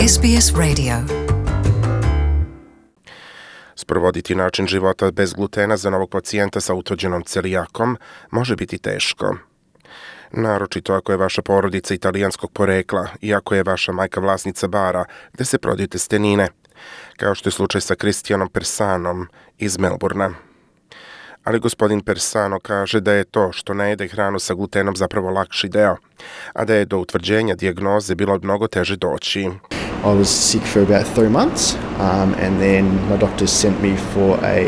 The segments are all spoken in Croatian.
SBS Radio. Sprovoditi način života bez glutena za novog pacijenta sa utvrđenom celijakom može biti teško. Naročito ako je vaša porodica italijanskog porekla i ako je vaša majka vlasnica bara gde se prodaju testenine, kao što je slučaj sa Cristianom Persanom iz Melbourna. Ali gospodin Persano kaže da je to što ne jede hranu sa glutenom zapravo lakši deo, a da je do utvrđenja dijagnoze bilo mnogo teže doći. I was sick for about 3 months, and then my doctors sent me for a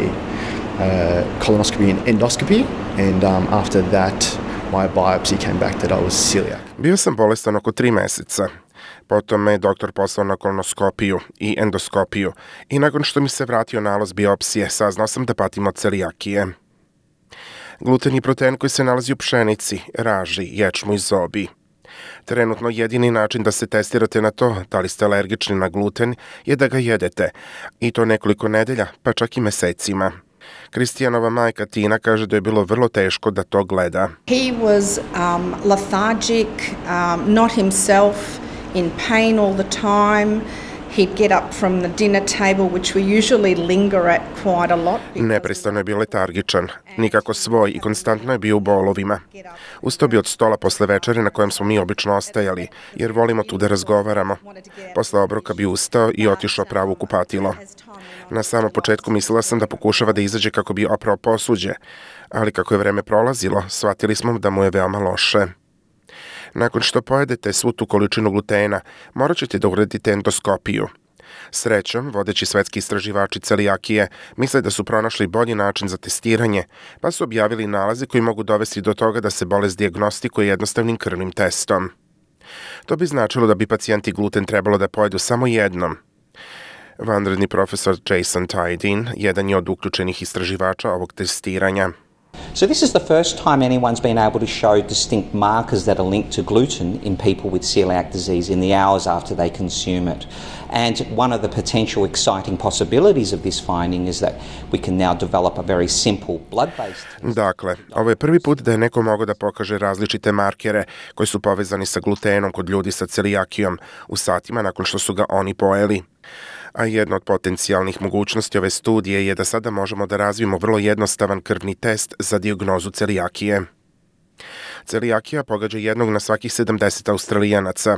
colonoscopy and endoscopy, and after that my biopsy came back that I was celiac. Bio sam bolestan oko 3 meseca. Potom me doktor poslao na kolonoskopiju i endoskopiju i nakon što mi se vratio nalaz biopsije, saznao sam da patim od celijakije. Gluten je protein koji se nalazi u pšenici, raži, ječmu i zobi. Trenutno jedini način da se testirate na to da li ste alergični na gluten je da ga jedete, i to nekoliko nedelja, pa čak i mesecima. Kristijanova majka Tina kaže da je bilo vrlo teško da to gleda. He was lethargic, not himself, in pain all the time. He'd get up from the dinner table, which we usually linger at quite a lot. Neprestano je bio letargičan, nikako svoj i konstantno je bio u bolovima. Ustao bi od stola posle večere na kojem smo mi obično ostajali, jer volimo tu da razgovaramo. Posle obroka bi ustao i otišao pravo u kupatilo. Na samom početku mislila sam da pokušava da izađe kako bi oprao posuđe, ali kako je vreme prolazilo, shvatili smo da mu je veoma loše. Nakon što pojedete svu tu količinu glutena, morat ćete da uradite endoskopiju. Srećom, vodeći svetski istraživači celijakije misle da su pronašli bolji način za testiranje, pa su objavili nalaze koji mogu dovesti do toga da se bolest dijagnostikuje jednostavnim krvnim testom. To bi značilo da bi pacijenti gluten trebalo da pojedu samo jednom. Vanredni profesor Jason Tydin jedan je od uključenih istraživača ovog testiranja. So this is the first time anyone's been able to show distinct markers that are linked to gluten in people with celiac disease in the hours after they consume it. And one of the potential exciting possibilities of this finding is that we can now develop a very simple blood-based test. Dakle, ovo je prvi put da je neko mogao da pokaže različite markere koji su povezani sa glutenom kod ljudi sa celijakijom u satima nakon što su ga oni pojeli. A jedna od potencijalnih mogućnosti ove studije je da sada možemo da razvijemo vrlo jednostavan krvni test za dijagnozu celijakije. Celijakija pogađa jednog na svakih 70 Australijanaca,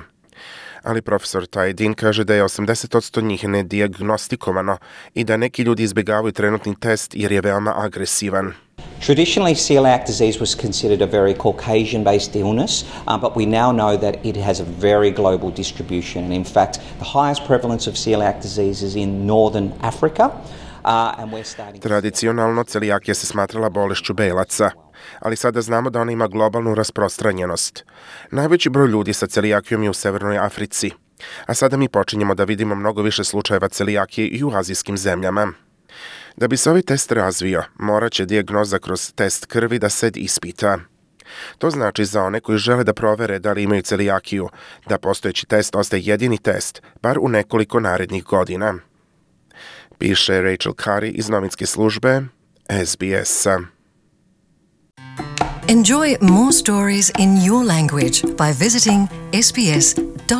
ali profesor Tydin kaže da je 80% njih nedijagnostikovano i da neki ljudi izbjegavaju trenutni test jer je veoma agresivan. Traditionally, celiac disease was considered a very Caucasian-based illness, but we now know that it has a very global distribution. And in fact, the highest prevalence of celiac disease is in northern Africa. Tradicionalno, celijakija se smatrala bolešću belaca, ali sada znamo da ona ima globalnu rasprostranjenost. Najveći broj ljudi sa celijakijom je u Severnoj Africi, a sada mi počinjemo da vidimo mnogo više slučajeva celijakije i u azijskim zemljama. Da bi se ovaj test razvio, morat će dijagnoza kroz test krvi da se ispita. To znači za one koji žele da provere da li imaju celijakiju, da postojeći test ostaje jedini test, bar u nekoliko narednih godina. Piše Rachel Curry iz novinske službe SBS-a. Enjoy more stories in your language by visiting sbs.com.au.